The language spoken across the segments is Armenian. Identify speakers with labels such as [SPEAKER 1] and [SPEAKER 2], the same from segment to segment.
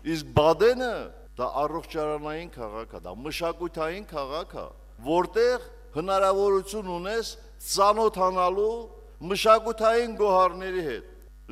[SPEAKER 1] Իսկ Բադենը դա առողջարանային քաղաք է, դա մշակութային քաղաք է, որտեղ հնարավորություն ունես ծանոթանալու մշակութային գոհարների հետ,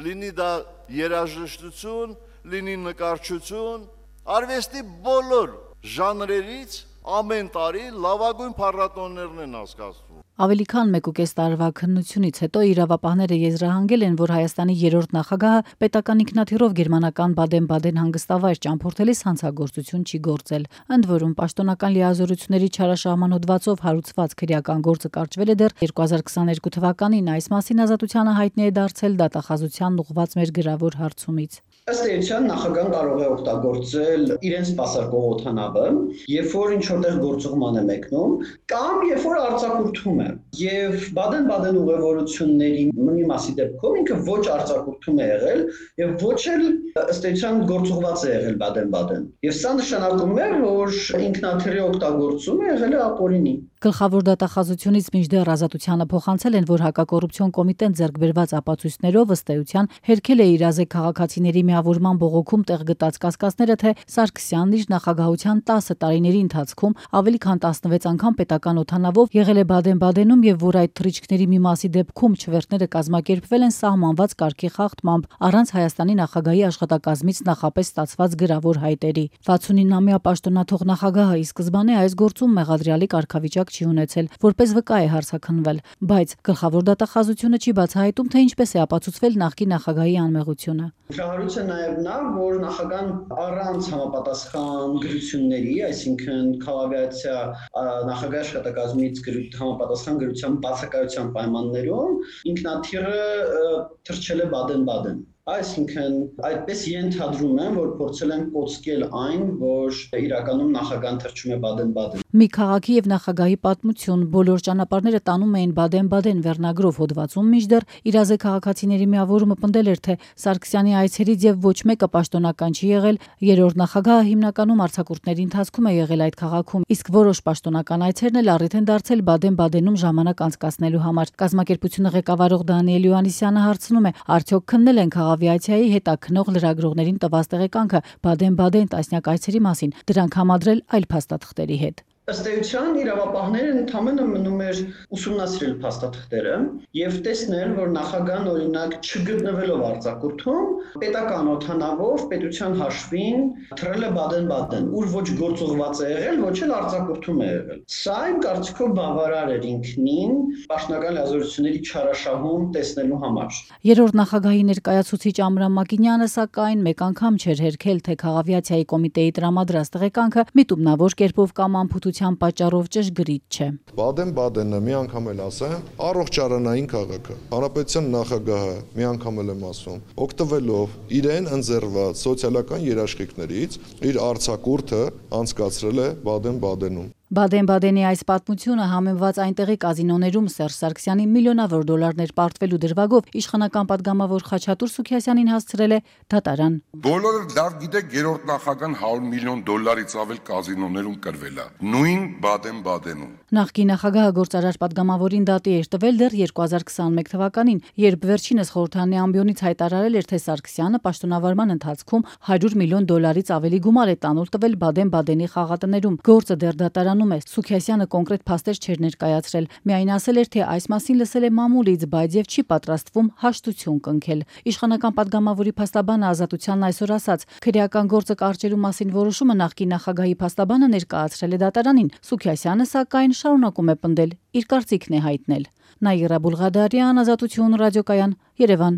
[SPEAKER 1] լինի դա երաժշտություն, լինի նկարչություն, արվեստի բոլոր ժանրերից ամեն տարի լավագույն փառատոներն են անցկացվում։
[SPEAKER 2] Ավելի քան 1.5 տարվա քննությունից հետո իրավապահները եզրահանգել են, որ Հայաստանի երրորդ նախագահը պետական ինքնաթիռով գերմանական Բադեն-Բադեն հանգստավայր ճամփորդելիս հանցագործություն չի գործել։ Ընդ որում պաշտոնական լիազորությունների չարաշահման հոդվածով հարուցված քրեական գործը կարճվել է դեռ 2022 թվականին։ Այս մասին Ազատությանը հայտնի է դարձել դատախազությանն ուղղված մեր գրավոր հարցումից։
[SPEAKER 3] Ըստ էության նախագահան կարող է օգտագործել իրենց սպասարկող օդանավը, երբ որ ինչ-որտեղ գործուղման է մեկնում, կամ երբ որ արձակուրդում է։ Եվ Բադեն-Բադեն ուղևորությունների մի մասի դեպքում ինքը ոչ արձակուրդում է եղել եւ ոչ էլ ըստ էության գործուղված է եղել Բադեն-Բադեն։ Եվ սա նշանակում է, որ ինքնաթիռի օգտագործումը եղել է ապօրինի։
[SPEAKER 2] Գլխավոր դատախազությունից մինչդեռ Ազատությանը փոխանցել են, որ հակակոռուպցիոն կոմիտեն ձեռք բերված ապացույցներով ըստ էության հերքել է իրազեկ քաղաքացիների միավորման բողոքում տեղ գտած կասկածները, թե Սարգսյանն իր նախագահության 10 տարիների ընթացքում ավելի քան 16 անգամ պետական օդանավով եղել է Բադեն-Բադենում եւ որ այդ թռիչքների մի մասի դեպքում չվերթները կազմակերպվել են սահմանված կարգի խախտմամբ առանց Հայաստանի նախագահի աշխատակազմից նախապես ստացված գրավոր հայտերի։ 69-ամյա պաշտոնաթող նախագահը ի սկզբանե այս գործում մեղադրյալի կարգավիճակ չի ունեցել, որպես վկա է հարցաքննվել, բայց գլխավոր դատախազությունը չի բացահայտում, թե ինչպես է ապացուցվել նախկին նախագահի անմեղությունը։
[SPEAKER 3] Հրահարույց է նաև նա, որ նախագահան առանց համապատասխան գրությունների, այսինքն քաղաքացիա նախագահի աշխատակազմից համապատասխան գրության բացակայության պայմաններում ինքնաթիռը թռչել է Բադեն-Բադեն։ Այսինքն այդպես ենթադրում են, որ փորձել են կոծկել այն, որ իրականում նախագահան թռչում է Բադեն-Բադեն։
[SPEAKER 2] Մի քաղաքի եւ նախագահի պատմություն բոլոր ճանապարհները տանում էին Բադեն-Բադեն վերնագրով հոդվածում, մինչդեռ իրազեկ քաղաքացիների միավորումը պնդել էր, թե Սարգսյանի այցերից եւ ոչ մեկը պաշտոնական չի եղել, երրորդ նախագահը հիմնականում արձակուրդների ընթացքում է եղել այդ քաղաքում, իսկ որոշ պաշտոնական այցերն էլ առիթ են դարձել Բադեն-Բադենում ժամանակ անցկացնելու համար։ Կազմակերպությունը ղեկավարող Դանիել Յոհաննիսյանը հարցնում է, արդյոք քննել են քաղաքավիացիայի հետաքնող լրագրողներին տված տեղեկանքը Բադեն-Բադեն տասնյակ այցերի մասին, դրանք համադրել այլ փաստաթղթերի հետ։
[SPEAKER 3] Ըստ էության իրավապահները ընդհանրապես մնում էր ուսումնասիրել փաստաթղթերը եւ տեսնել, որ նախագահան օրինակ չգտնվելով արձակուրդում պետական օդանավով պետության հաշվին թռել է Բադեն-Բադեն, ուր ոչ գործուղված է եղել, ոչ էլ արձակուրդում է եղել։ Սա իմ կարծիքով բավարար էր ինքնին պաշտոնական լիազորությունների չարաշահում տեսնելու համար։
[SPEAKER 2] Երրորդ նախագահի ներկայացուցիչ Ամրամ Մակինյանը սակայն մեկ անգամ չէր հերքել, թե քաղաքավիացիայի կոմիտեի տրամադրած տեղեկանքը միտումնավոր կերպով կամ անփութության պատճառով ճշգրիտ չէ։
[SPEAKER 4] Բադեն-Բադենը մի անգամ էլ ասեմ, առողջարանային քաղաք է։ Հանրապետության նախագահը մի անգամ էլ եմ ասում, օգտվելով իրեն ընձեռված սոցիալական երաշխիքներից իր արձակուրդը անցկացրել է Բադեն-Բադենում։
[SPEAKER 2] Բադեն-Բադենի այս պատմությունը համեմված այնտեղի կազինոներում Սերժ Սարգսյանի միլիոնավոր դոլարներ պարտվելու դրվագով իշխանական падգամավոր Խաչատուր Սուքիասյանին հասցրել է դատարան։
[SPEAKER 5] Բոլորը լավ գիտեք, երրորդ նախագահան $100 միլիոն ավել կազինոներում կրվել է, նույն Բադեն-Բադենում։
[SPEAKER 2] Նախկին նախագահը գործարար падգամավորին դատի էր տվել դեռ 2021 թվականին, երբ վերջինս խորհրդանի ամբիոնից հայտարարել էր, թե Սարգսյանը պաշտոնավարման ընթացքում $100 միլիոն ավելի գումար է տանուլ տվել Բադեն-Բադենի խաղատներում։ Գործը դեռ դատարանում է։ Սուքիասյանը կոնկրետ փաստեր չէր ներկայացրել։ Միայն ասել էր, թե այս մասին լսել է մամուլից, բայց եւ չի պատրաստվում հաշտություն կնքել։ Իշխանական падգամավորի փաստաբանը Ազատությանն այսօր ասաց, քրեական գործը կարճելու մասին որոշումը նախկին նախագահի փաստաբանը ներկայացրել է դատարանին։ Սուքիասյանը սակայն շարունակում է պնդել, իր կարծիքն է հայտնել։ Նաիրա Բուլղադարյան, Ազատություն ռադիոկայան, Երևան։